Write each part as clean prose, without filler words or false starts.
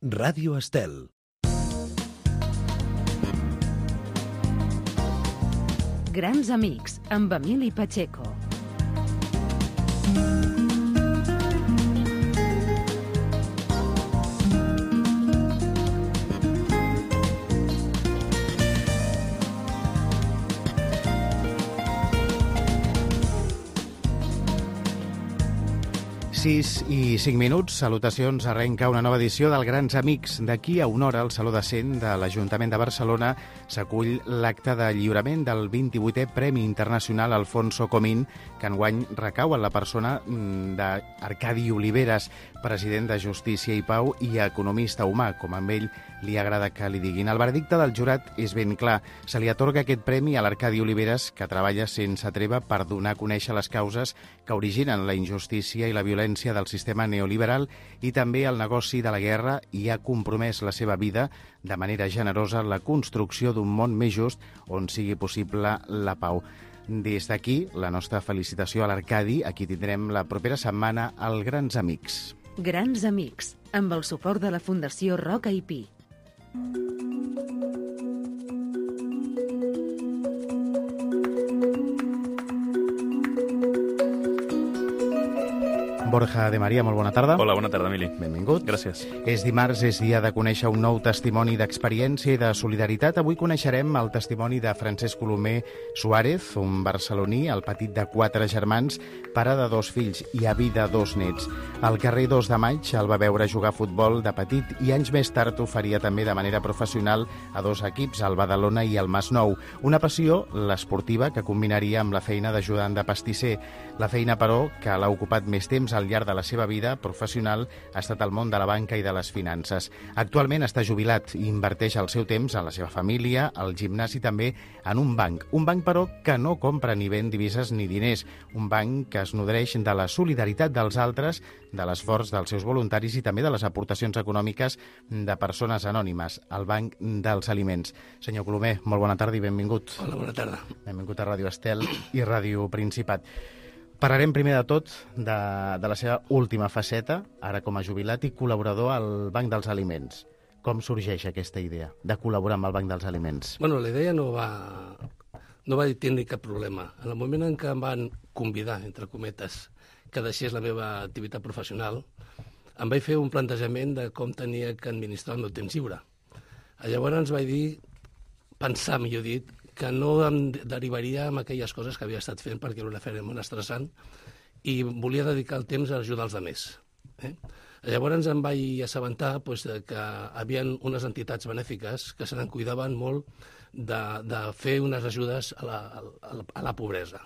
Ràdio Estel. Grans amics, amb Emili Pacheco. Sis i 5 minuts, salutacions, arrenca una nova edició del Grans Amics. D'aquí a una hora, al Saló de Cent de l'Ajuntament de Barcelona s'acull l'acte de lliurament del 28è Premi Internacional Alfonso Comín, que enguany recau en la persona d'Arcadi Oliveres, president de Justícia i Pau i economista humà, com a ell li agrada que li diguin. El veredicte del jurat és ben clar. Se li atorga aquest premi a l'Arcadi Oliveres, que treballa sense treva per donar a conèixer les causes que originen la injustícia i la violència del sistema neoliberal i també el negoci de la guerra, i ha compromès la seva vida de manera generosa en la construcció d'un món més just on sigui possible la pau. Des d'aquí, la nostra felicitació a l'Arcadi, a qui tindrem la propera setmana al Grans Amics. Grans Amics, amb el suport de la Fundació Roca i Pi. Borja de Maria, molt bona tarda. Hola, bona tarda, Emili. Benvingut. Gràcies. És dimarts, és dia de conèixer un nou testimoni d'experiència i de solidaritat. Avui coneixerem el testimoni de Francesc Colomer Suárez, un barceloní, el petit de 4 germans, pare de 2 fills i avi de 2 nets. Al carrer 2 de Maig el va veure jugar a futbol de petit i anys més tard ho faria també de manera professional a 2 equips, el Badalona i el Masnou. Una passió, l'esportiva, que combinaria amb la feina d'ajudant de pastisser. La feina, però, que l'ha ocupat més temps al llarg de la seva vida professional ha estat el món de la banca i de les finances. Actualment està jubilat i inverteix el seu temps en la seva família, al gimnàs i també en un banc. Un banc, però, que no compra ni ven divises ni diners. Un banc que es nodreix de la solidaritat dels altres, de l'esforç dels seus voluntaris i també de les aportacions econòmiques de persones anònimes, el Banc dels Aliments. Senyor Colomer, molt bona tarda i benvingut. Hola, bona tarda. Benvingut a Ràdio Estel i Ràdio Principat. Parlarem primer de tot de la seva última faceta, ara com a jubilat i col·laborador al Banc dels Aliments. Com sorgeix aquesta idea de col·laborar amb el Banc dels Aliments? Bueno, la idea no va tenir cap problema. En el moment en què em van convidar, entre cometes, que deixés la meva activitat professional, em vaig fer un plantejament de com tenia que administrar el meu temps lliure. Llavors vaig pensar, millor dit, que no em derivaria amb aquelles coses que havia estat fent perquè era una feina molt estressant i volia dedicar el temps a ajudar els altres. Llavors em vaig assabentar que hi havia unes entitats benèfiques que se n'en cuidaven molt de fer unes ajudes a la pobresa.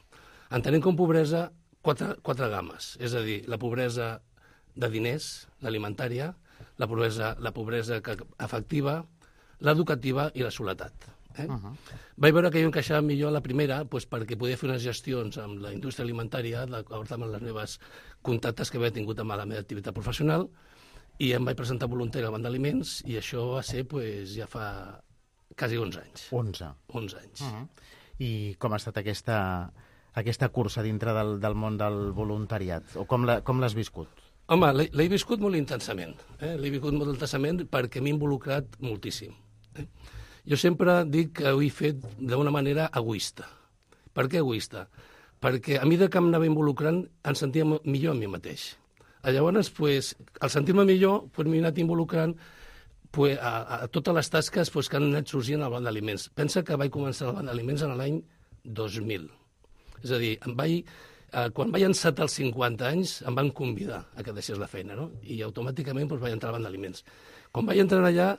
Entenent com pobresa quatre games, és a dir, la pobresa de diners, l'alimentària, la pobresa afectiva, l'educativa i la soledat. Vaig veure que jo encaixava millor la primera perquè podia fer unes gestions amb la indústria alimentària d'acord amb les meves contactes que havia tingut amb la meva activitat professional, i em vaig presentar voluntari al Banc d'Aliments, i això va ser ja fa quasi 11 anys. 11 anys. I com ha estat aquesta cursa dintre del món del voluntariat? O com l'has viscut? Home, l'he viscut molt intensament. L'he viscut molt intensament perquè m'he involucrat moltíssim. Jo sempre dic que ho he fet d'una manera egoista. Per què egoista? Perquè a mesura que em anava involucrant em sentia millor a mi mateix. Llavors, al sentir-me millor, m'he anat involucrant a totes les tasques que han anat sorgint al Banc d'Aliments. Pensa que vaig començar al Banc d'Aliments en l'any 2000. És a dir, quan vaig encetar els 50 anys, em van convidar a que deixés la feina, no? I automàticament vaig entrar al Banc d'Aliments. Quan vaig entrar allà,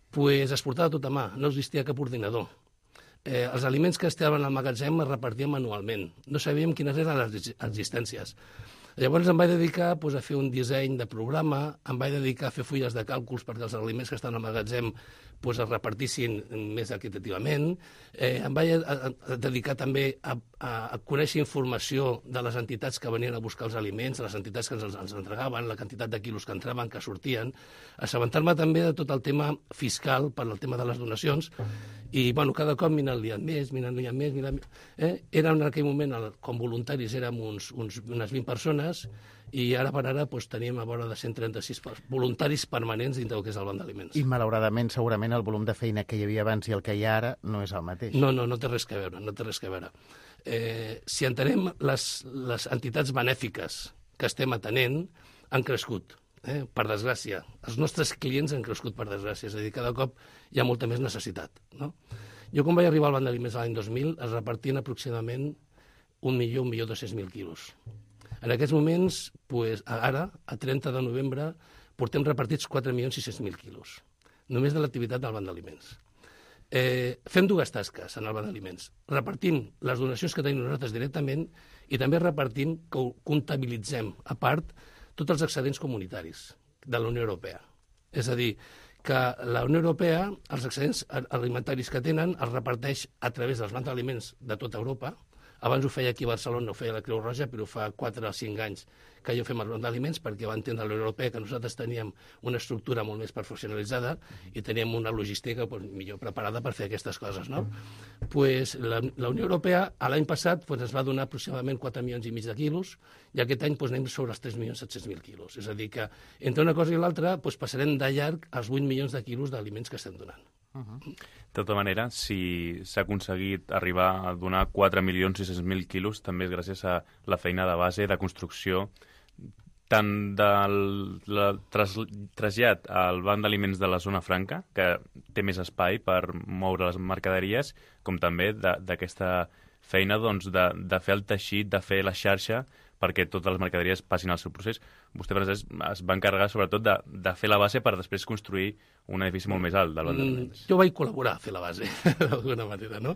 es portava tot a mà, no existia cap ordinador. Els aliments que estaven al magatzem es repartien manualment. No sabíem quines eren les existències. Llavors em vaig dedicar a fer un disseny de programa, em vaig dedicar a fer fulles de càlculs perquè els aliments que estaven al magatzem es repartissin més equitativament. Em vaig dedicar també a conèixer informació de les entitats que venien a buscar els aliments, les entitats que ens entregaven, la quantitat de quilos que entraven, que sortien, assabentar-me també de tot el tema fiscal per al tema de les donacions, I, bueno, cada cop m'hi anat liant més. Era en aquell moment, com voluntaris, érem unes 20 persones, i ara per ara teníem a vora de 136 voluntaris permanents dintre del que és el banc d'aliments. I, malauradament, segurament el volum de feina que hi havia abans i el que hi ha ara no és el mateix. No té res que veure, si entenem les entitats benèfiques que estem atenent, han crescut, per desgràcia. Els nostres clients han crescut, per desgràcia, és a dir, cada cop hi ha molta més necessitat, no? Jo, quan vaig arribar al banc d'aliments l'any 2000, es repartien aproximadament 1.200.000 quilos. En aquests moments, ara, a 30 de novembre, portem repartits 4.600.000 quilos, només de l'activitat del banc d'aliments. Fem dues tasques en el banc d'aliments. Repartim les donacions que tenim nosaltres directament i també repartim, comptabilitzem a part, tots els excedents comunitaris de la Unió Europea. És a dir, que la Unió Europea, els excedents alimentaris que tenen, els reparteix a través dels bancs d'aliments de tota Europa. Abans ho feia aquí a Barcelona, ho feia la Creu Roja, però fa 4 o 5 anys que jo fem el banc d'aliments, perquè va entendre la Unió Europea que nosaltres teníem una estructura molt més professionalitzada i teníem una logística millor preparada per fer aquestes coses, no? La Unió Europea, l'any passat, ens va donar aproximadament 4,5 milions de quilos, i aquest any anem sobre els 3.700.000 quilos. És a dir, que entre una cosa i l'altra passarem de llarg els 8 milions de quilos d'aliments que estem donant. De tota manera, si s'ha aconseguit arribar a donar 4.600.000 quilos, també és gràcies a la feina de base, de construcció, tant del trasllat al banc d'aliments de la zona franca, que té més espai per moure les mercaderies, com també d'aquesta feina de fer el teixit, de fer la xarxa, perquè totes les mercaderies passin el seu procés. Vostè, Francesc, es va encarregar sobretot de fer la base per després construir un edifici molt més alt del banc d'aliments. Jo vaig col·laborar a fer la base, d'alguna manera, no?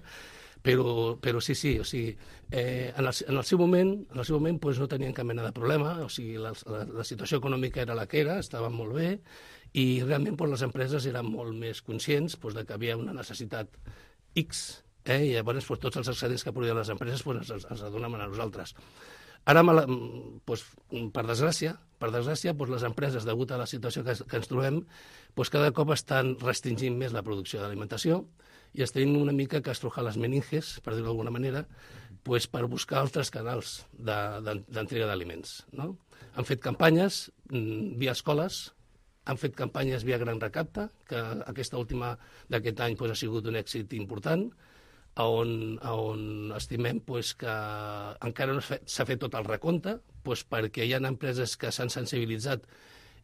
Però sí, o sigui, en el seu moment no tenien cap mena de problema, o sigui, la situació econòmica era la que era, estava molt bé, i realment les empreses eren molt més conscients de que havia una necessitat X, i llavors tots els excedents que produïen les empreses ens donem a nosaltres. Ara, per desgràcia, les empreses, degut a la situació que ens trobem, cada cop estan restringint més la producció d'alimentació i estem una mica que estrujar les meninges, per dir-ho d'alguna manera, per buscar altres canals d'entrega d'aliments, no? Han fet campanyes via escoles, han fet campanyes via Gran Recapte, que aquesta última d'aquest any ha sigut un èxit important, on estimem que encara no s'ha fet tot el recompte, perquè hi ha empreses que s'han sensibilitzat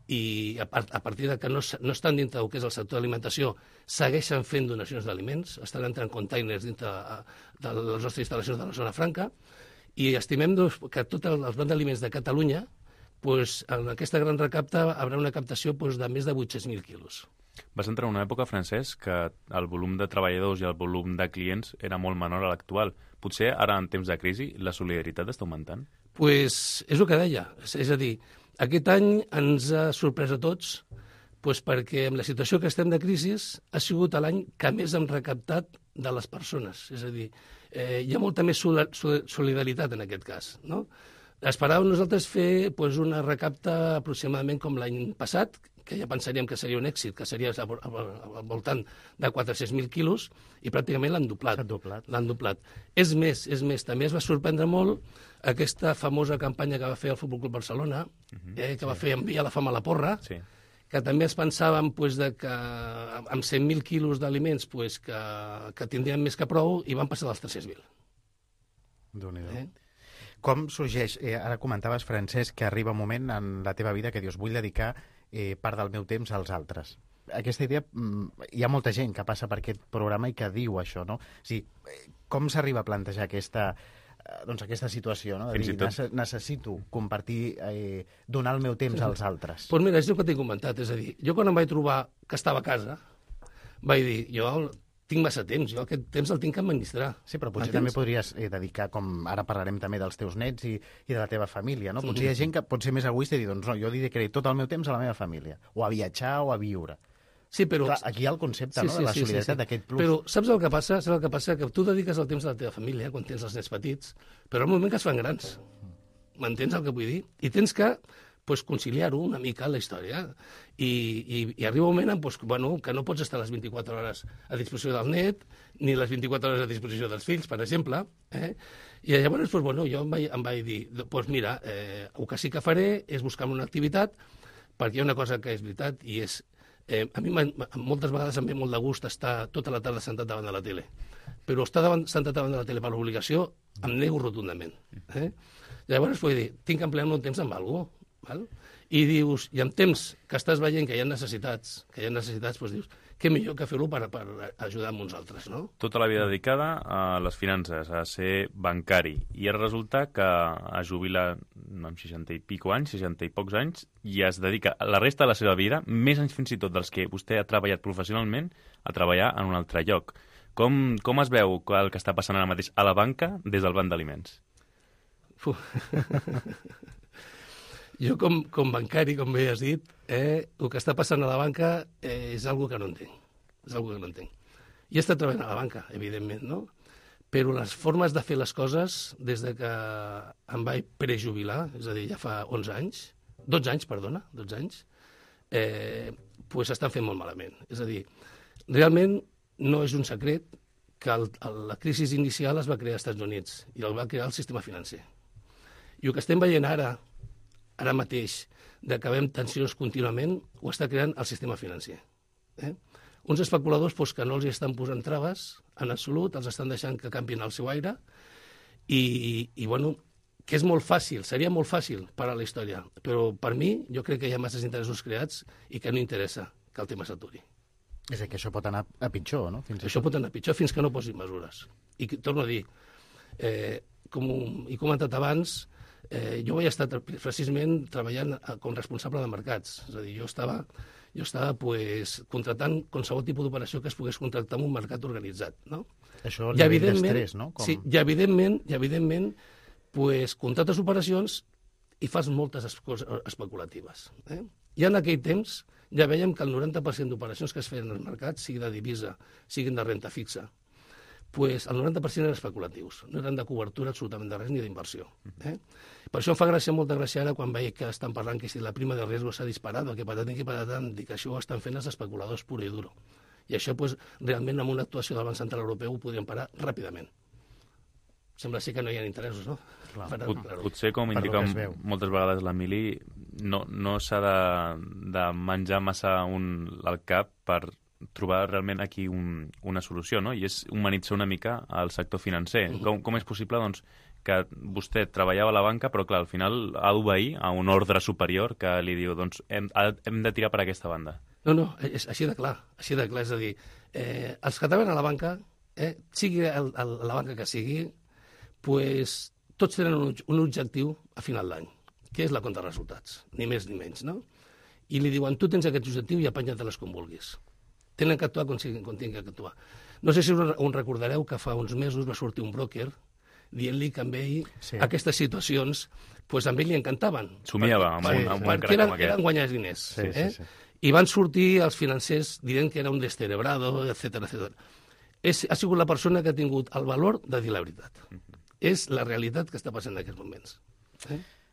i a partir de que no estan dintre del que és el sector d'alimentació segueixen fent donacions d'aliments, estan entrant containers dintre de les nostres instal·lacions de la zona franca, i estimem que tots els bancs d'aliments de Catalunya, en aquesta Gran Recapte haurà una captació de més de 800.000 quilos. Vas entrar en una època, Francesc, que el volum de treballadors i el volum de clients era molt menor a l'actual. Potser ara, en temps de crisi, la solidaritat està augmentant? És el que deia. És a dir, aquest any ens ha sorprès a tots perquè amb la situació que estem de crisi ha sigut l'any que més hem recaptat de les persones. És a dir, hi ha molta més solidaritat en aquest cas, no? Esperàvem nosaltres fer una recapta aproximadament com l'any passat, que ja pensaríem que seria un èxit, que seria al voltant de 400.000 quilos, i pràcticament l'han doblat. És més, també es va sorprendre molt aquesta famosa campanya que va fer el Futbol Club Barcelona, que va fer enviar la fam a la porra, que també es pensàvem que amb 100.000 quilos d'aliments que tindrien més que prou, i van passar dels 300.000. Déu-n'hi-do. Com sorgeix, ara comentaves, Francesc, que arriba un moment en la teva vida que dius, vull dedicar part del meu temps als altres. Aquesta idea, hi ha molta gent que passa per aquest programa i que diu això, no? O sigui, com s'arriba a plantejar aquesta situació, no? De dir, necessito compartir, donar el meu temps als altres. Doncs mira, és el que t'he comentat, és a dir, jo quan em vaig trobar que estava a casa, vaig dir, jo tinc massa temps, jo aquest temps el tinc que administrar. Sí, però potser també podries dedicar, com ara parlarem també dels teus nets i de la teva família, no? Potser hi ha gent que pot ser més egoista i dir, doncs no, jo dedicaré tot el meu temps a la meva família, o a viatjar o a viure. Sí, però... Clar, aquí hi ha el concepte, no?, de la solidaritat d'aquest plus. Però saps el que passa? Saps el que passa? Que tu dediques el temps a la teva família quan tens els nets petits, però al moment que es fan grans. M'entens el que vull dir? I tens que conciliar-ho una mica la història. I arriba un moment que no pots estar les 24 hores a disposició del net, ni les 24 hores a disposició dels fills, per exemple. I llavors, jo em vaig dir, mira, el que sí que faré és buscar una activitat, perquè hi ha una cosa que és veritat, i és... A mi moltes vegades em ve molt de gust estar tota la tarda sentat davant de la tele, però estar sentat davant de la tele per l'obligació em nego rotundament. Llavors vull dir, tinc que emplear el meu temps amb alguna cosa, i dius, i en temps que estàs veient que hi ha necessitats, doncs dius, què millor que fer-ho per ajudar amb uns altres, no? Tota la vida dedicada a les finances, a ser bancari, i ara resulta que es jubila amb 60 i pico anys, 60 i pocs anys, i es dedica la resta de la seva vida, més anys fins i tot dels que vostè ha treballat professionalment, a treballar en un altre lloc. Com es veu el que està passant ara mateix a la banca des del banc d'aliments? Jo, com bancari, com bé has dit, el que està passant a la banca és algo que no entenc. I he estat treballant a la banca, evidentment, no? Però les formes de fer les coses, des de que em vaig prejubilar, és a dir, ja fa 12 anys, doncs estan fent molt malament. És a dir, realment no és un secret que la crisi inicial es va crear als Estats Units i el va crear el sistema financer. I el que estem veient ara mateix, que veiem tensions contínuament, ho està creant el sistema financer. Uns especuladors que no els estan posant traves, en absolut, els estan deixant que canvien el seu aire, i que és molt fàcil, seria molt fàcil parar la història, però per mi jo crec que hi ha masses interessos creats i que no interessa que el tema s'aturi. És que això pot anar a pitjor, no? Això pot anar a pitjor fins que no posin mesures. I torno a dir, com he comentat abans, jo vaig estar precisament treballant com responsable de mercats. És a dir, jo estava contratant qualsevol tipus d'operació que es pogués contractar en un mercat organitzat, no? Això el nivell d'estrès, no? Sí, i evidentment, contractes operacions i fas moltes coses especulatives. I en aquell temps ja vèiem que el 90% d'operacions que es feien als mercats, sigui de divisa, siguin de renta fixa, el 90% eren especulatius, no eren de cobertura absolutament de res ni d'inversió. Per això em fa molta gràcia ara quan veig que estan parlant que si la prima de riesgo s'ha disparat o que patatem, dic que això ho estan fent els especuladors pur i duro. I això, realment, amb una actuació del Banc Central Europeu ho podrien parar ràpidament. Sembla ser que no hi ha interessos, no? Potser, com indica moltes vegades l'Emili, no s'ha de menjar massa el cap per trobar realment aquí una solució, no? I és humanitzar una mica el sector financer. Com és possible, doncs, que vostè treballava a la banca, però, clar, al final ha d'obeir a un ordre superior que li diu, doncs, hem de tirar per aquesta banda? No, és així de clar. És a dir, els que treballen a la banca, sigui la banca que sigui, tots tenen un objectiu a final d'any, que és la compta de resultats, ni més ni menys, no? I li diuen, tu tens aquest objectiu i apanya't-les com vulguis. Tenen que actuar com tinguin que actuar. No sé si us recordareu que fa uns mesos va sortir un broker dient-li que amb ell aquestes situacions amb ell li encantaven. Somiava amb un perquè eren guanyar diners. I van sortir els financers dient que era un descerebrado, etc. Ha sigut la persona que ha tingut el valor de dir la veritat. És la realitat que està passant en aquests moments.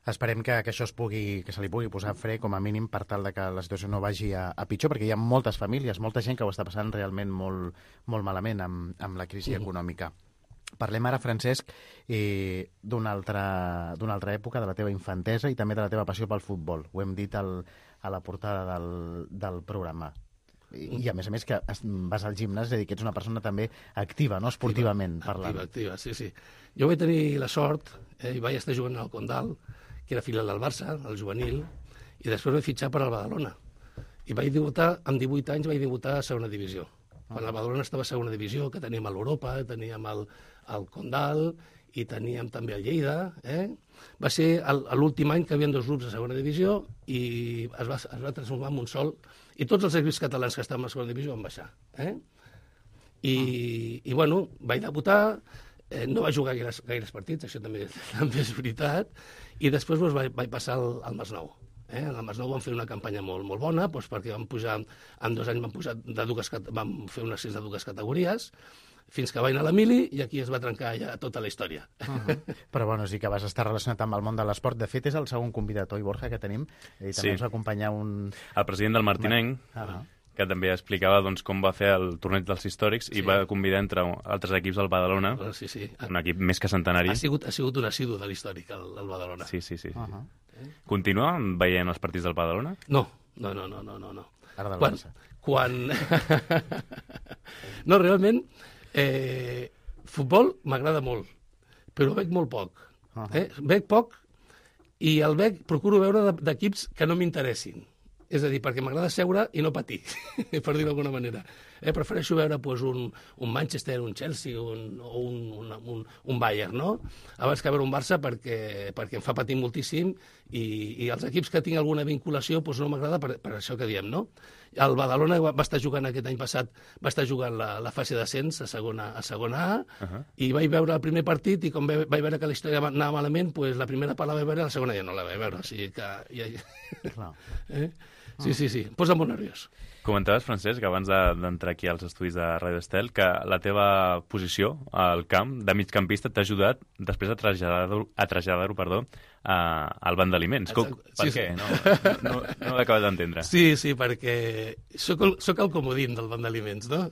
Esperem que això que se li pugui posar fre, com a mínim, per tal de que la situació no vagi a pitjor, perquè hi ha moltes famílies, molta gent que ho està passant realment molt, molt malament amb la crisi econòmica. Parlem ara, Francesc, d'una altra època, de la teva infantesa i també de la teva passió pel futbol. Ho hem dit a la portada del programa. I a més que vas al gimnàs, és a dir, que ets una persona també activa, no? Esportivament parlant. Activa, sí. Jo vaig tenir la sort, i vaig estar jugant al Condal, que era filial del Barça, el juvenil, i després vaig fitxar per al Badalona. I vaig debutar, amb 18 anys, vaig debutar a segona divisió. Quan el Badalona estava a segona divisió, que teníem a l'Europa, teníem el Condal, i teníem també el Lleida. Va ser l'últim any que hi havia 2 grups a segona divisió i es va transformar en un sol, i tots els equips catalans que estaven a segona divisió van baixar. I vaig debutar, no vaig jugar gaires partits, això també és veritat, i després vaig passar al Masnou. Al Masnou vam fer una campanya molt bona, perquè vam pujar, en 2 anys vam fer un ascens de 2 categories, fins que va anar a l'Emili i aquí es va trencar ja tota la història. Però bueno, sí que vas estar relacionat amb el món de l'esport. De fet, és el segon convidat, oi, Borja, que tenim? I també ens va acompanyar el president del Martinenc, que també explicava doncs, com va fer el torneig dels històrics i va convidar entre altres equips al Badalona, un equip més que centenari. Ha sigut un assidu de l'històric, el Badalona. Sí. Continua veient els partits del Badalona? No. Ara del Barça. No, realment, futbol m'agrada molt, però veig molt poc. Veig poc i el procuro veure d'equips que no m'interessin. És a dir, perquè m'agrada seure i no patir, per dir-ho d'alguna manera. Prefereixo veure un Manchester, un Chelsea o un Bayern, no? Abans que veure un Barça perquè em fa patir moltíssim i els equips que tinc alguna vinculació no m'agrada per això que diem, no? El Badalona va estar jugant aquest any passat, va estar jugant la fase d'ascens a segona A i vaig veure el primer partit i com vaig veure que la història anava malament, la primera part la vaig veure i la segona ja no la vaig veure. O sigui que... Sí, em posa molt nerviós. Comentaves, Francesc, abans d'entrar aquí als estudis de Ràdio Estel, que la teva posició al camp de migcampista t'ha ajudat després a traslladar-ho al banc d'aliments. Per què? No ho he acabat d'entendre. Sí, perquè soc el comodín del banc d'aliments, no?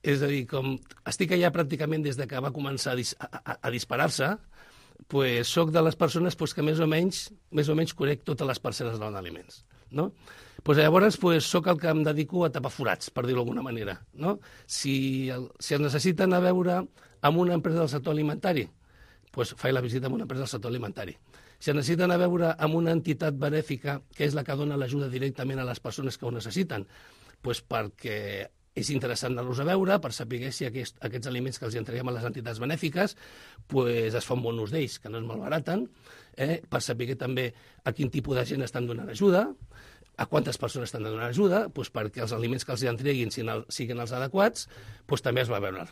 És a dir, com estic allà pràcticament des que va començar a disparar-se, soc de les persones que més o menys conec totes les parcel·les del banc d'aliments, no? Llavors soc el que em dedico a tapar forats, per dir-ho d'alguna manera, no? Si es necessiten a veure amb una empresa del sector alimentari, faig la visita amb una empresa del sector alimentari. Si es necessiten a veure amb una entitat benèfica, que és la que dona l'ajuda directament a les persones que ho necessiten, perquè és interessant anar-los a veure, per saber si aquests aliments que els entreguem a les entitats benèfiques es fa un bon ús d'ells, que no es malbaraten, per saber també a quin tipus de gent estan donant ajuda, a quantes persones estan donant ajuda, perquè els aliments que els entreguin siguin els adequats, també es va veure.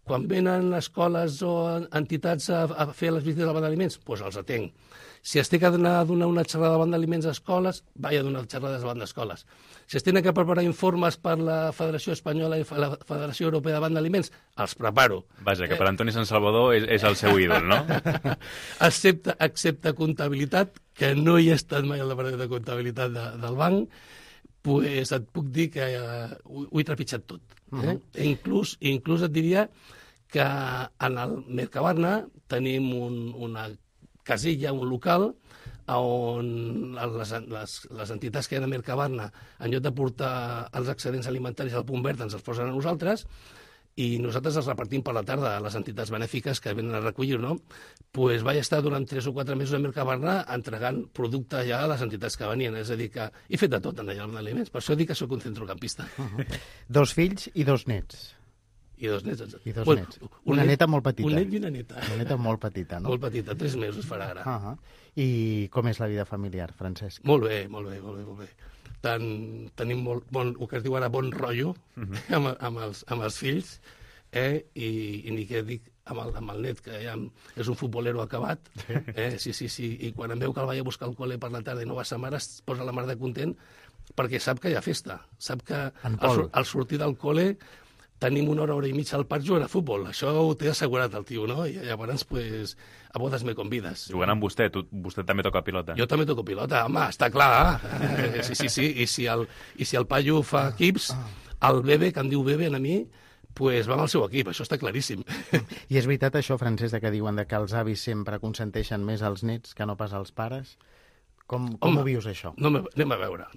Quan venen escoles o entitats a fer les visites al banc d'aliments, els atenc. Si es té que anar a donar una xerrada al banc d'aliments a escoles, vaig a donar xerrades al banc d'escoles. Si es tenen que preparar informes per la Federació Espanyola i la Federació Europea de Banc d'Aliments, els preparo. Vaja, que per Antoni Sant Salvador és el seu ídol, no? Excepte comptabilitat, que no hi he estat mai al departament de comptabilitat del banc, et puc dir que ho he trepitjat tot. Inclús et diria que en el Mercabarna tenim una casilla, un local, on les entitats que hi ha a Mercabarna, en lloc de portar els excedents alimentaris al punt verd, ens els posen a nosaltres, i nosaltres els repartim per la tarda a les entitats benèfiques que venen a recollir, no? Vaig estar durant 3 o 4 mesos a Mercabarna entregant producte ja a les entitats que venien. És a dir, que he fet de tot en allà amb aliments. Per això dic que sóc un centrocampista. 2 fills i 2 nets. I 2 nets. I 2 nets. Una neta molt petita. Un net i una neta. Una neta molt petita, no? Molt petita, 3 mesos farà ara. I com és la vida familiar, Francesc? Molt bé. Tenim el que es diu ara bon rotllo amb els fills, i ni què dic amb el net, que ja és un futbolero acabat. Sí, i quan em veu que el vaig a buscar al col·le per la tarda i no va sa mare, es posa la mar de content, perquè sap que hi ha festa. Sap que al sortir del col·le tenim 1 hora i mitja al parc jugant a futbol. Això ho té assegurat el tio, no? I llavors, a bodes me convides. Jugant amb vostè, vostè també toca pilota. Jo també toco pilota, home, està clar. Sí. I si el paio fa equips, el bebè, que em diu bebè a mi, va amb el seu equip, això està claríssim. I és veritat això, Francesc, que diuen que els avis sempre consenteixen més als nets que no pas als pares? Com ho vius, això? Anem a veure.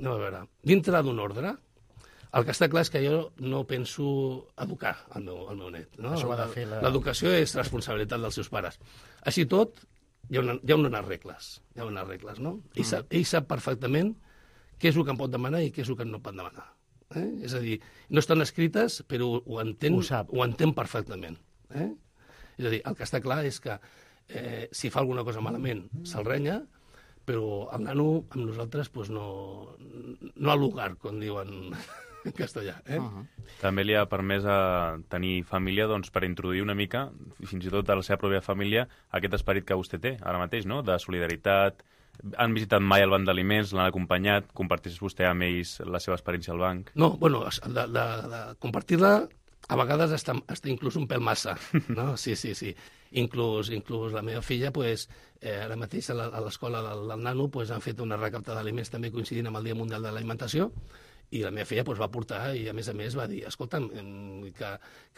Dintre d'un ordre, el que està clar és que jo no penso educar el meu net. No? Això ho ha de fer l'educació és responsabilitat dels seus pares. Així tot, hi ha unes regles. No? Ell sap perfectament què és el que em pot demanar i què és el que no pot demanar. És a dir, no estan escrites, però ho entén perfectament. És a dir, el que està clar és que si fa alguna cosa malament, se'l renya, però el nano amb nosaltres no al lugar, com diuen en castellà. També li ha permès tenir família per introduir una mica, fins i tot a la seva pròpia família, aquest esperit que vostè té ara mateix, no? De solidaritat. Han visitat mai el banc d'aliments, l'han acompanyat, compartís vostè amb ells la seva experiència al banc? No, bueno, de compartir-la a vegades està inclús un pèl massa, no? Sí. Inclús la meva filla, pues, ara mateix a l'escola del nano pues, han fet una recapta d'aliments també coincidint amb el Dia Mundial de l'Alimentació, i la meva filla pues, va portar i, a més, va dir, escolta'm, que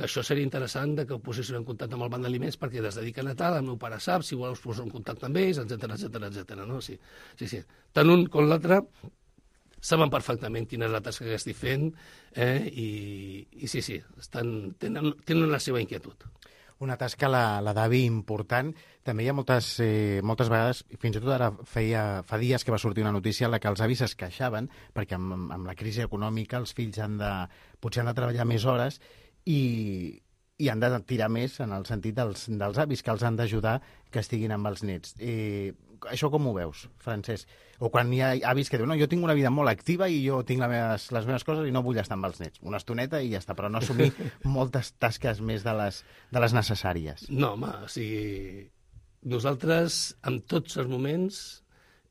això seria interessant que ho posessin en contacte amb el banc d'aliments perquè des de dir que Natal el meu pare sap, si voleu us poso en contacte amb ells, etc. No? Sí. Tant un com l'altre saben perfectament quina és la tasca que estic fent i sí, tenen la seva inquietud. Una tasca, la d'avi, important. També hi ha moltes vegades, fins i tot ara fa dies que va sortir una notícia en la que els avis es queixaven perquè amb la crisi econòmica els fills potser han de treballar més hores i han de tirar més en el sentit dels avis, que els han d'ajudar que estiguin amb els nets. Això com ho veus, Francesc? O quan hi ha avis que diuen, no, jo tinc una vida molt activa i jo tinc les meves coses i no vull estar amb els nets. Una estoneta i ja està, però no assumir moltes tasques més de les necessàries. No, home, o sigui, nosaltres en tots els moments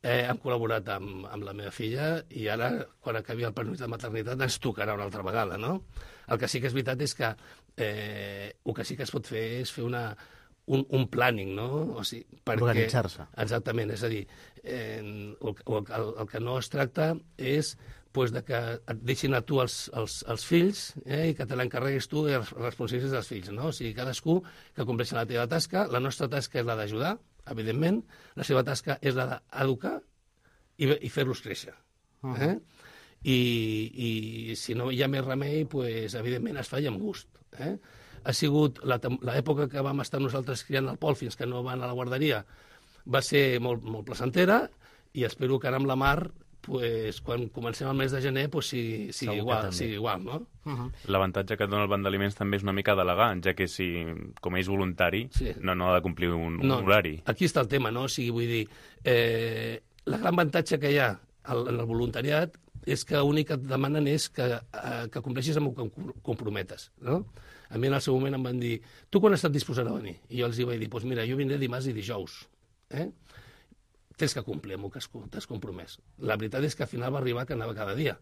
hem col·laborat amb la meva filla i ara, quan acabi el permís de maternitat, ens tocarà una altra vegada, no? El que sí que és veritat és que el que sí que es pot fer és fer un planning, no? O sigui, organitzar-se. Exactament, és a dir, el que no es tracta és pues, de que et deixin a tu els fills i que te l'encarreguis tu i els responsabilitats dels fills, no? O sigui, cadascú que compleixi la teva tasca, la nostra tasca és la d'ajudar, evidentment, la seva tasca és la d'educar i fer-los créixer. I si no hi ha més remei, pues, evidentment es fa i amb gust. Ha sigut l'època que vam estar nosaltres criant el Pol fins que no van a la guarderia, va ser molt, molt placentera i espero que ara amb la Mar, pues, quan comencem el mes de gener, pues, sigui igual, no? L'avantatge que et dona el banc d'aliments també és una mica delegar, ja que si, com és voluntari, no ha de complir un horari. Aquí està el tema, no? O sigui, vull dir, la gran avantatge que hi ha en el voluntariat és que l'únic que et demanen és que compleixis amb el que comprometes, no? A mi en el seu moment em van dir, tu quan estàs disposat a venir? I jo els vaig dir, doncs mira, jo vindré dimarts i dijous. Tens que complir amb el que t'has compromès. La veritat és que al final va arribar que anava cada dia.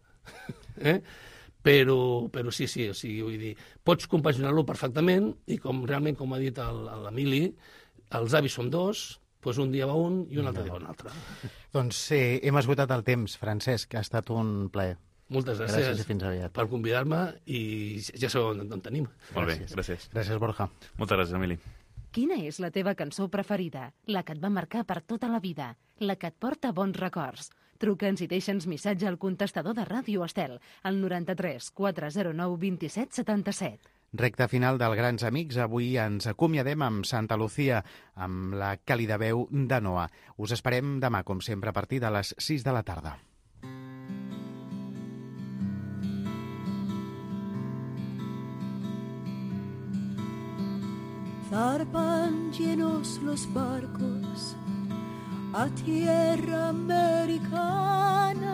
Però sí, o sigui, vull dir, pots compaginar-lo perfectament i realment, com ha dit l'Emili, els avis són dos, doncs un dia va un i un altre dia va un altre. Doncs hem esgotat el temps, Francesc, ha estat un plaer. Moltes gràcies i fins aviat. Per convidar-me i ja sabeu on tenim. Molt bé, gràcies. Gràcies, Borja. Moltes gràcies, Emili. Quina és la teva cançó preferida? La que et va marcar per tota la vida? La que et porta bons records? Truca'ns i deixa'ns missatge al contestador de Ràdio Estel, al 93 409 27 77. Recte final del Grans Amics. Avui ens acomiadem amb Santa Lucía, amb la càlida veu de Noa. Us esperem demà, com sempre, a partir de les 6 de la tarda. Zarpan llenos los barcos a tierra americana,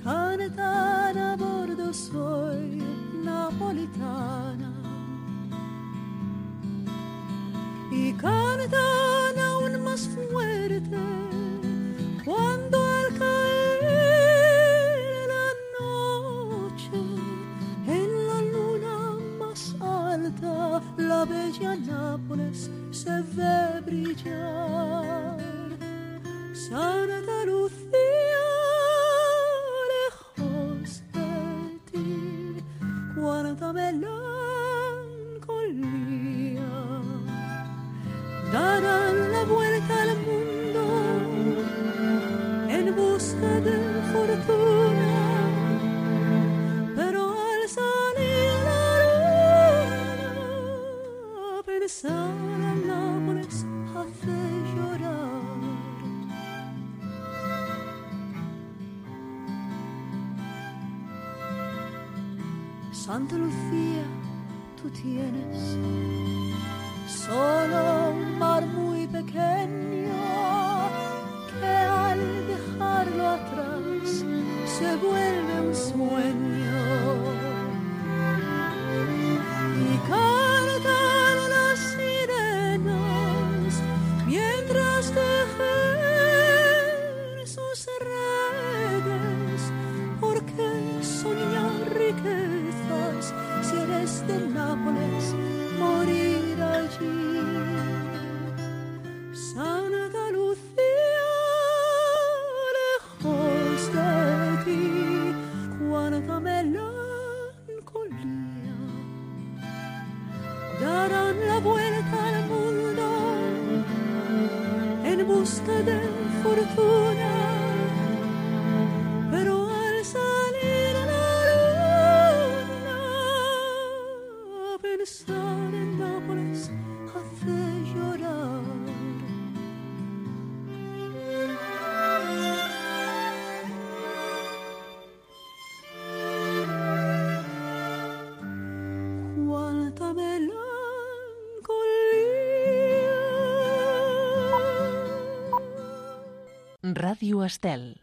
cantan a bordo soy napolitana y cantan aún más fuerte cuando al caer la noche en la luna más alta la bella Nápoles se ve brillar. Santa Lucía, lejos de ti, cuánta melancolía. Darán la vuelta al mundo en busca de fortuna, pero al salir la luna, pensar en Nápoles hace llorar. Santa Lucía, tú tienes solo un mar muy pequeño que al dejarlo atrás se vuelve un sueño. Y cantan las sirenas mientras tejen sus redes, porque soñar riquezas si eres de pensar en Nápoles hace llorar. Cuánta melancolía. Ràdio Estel.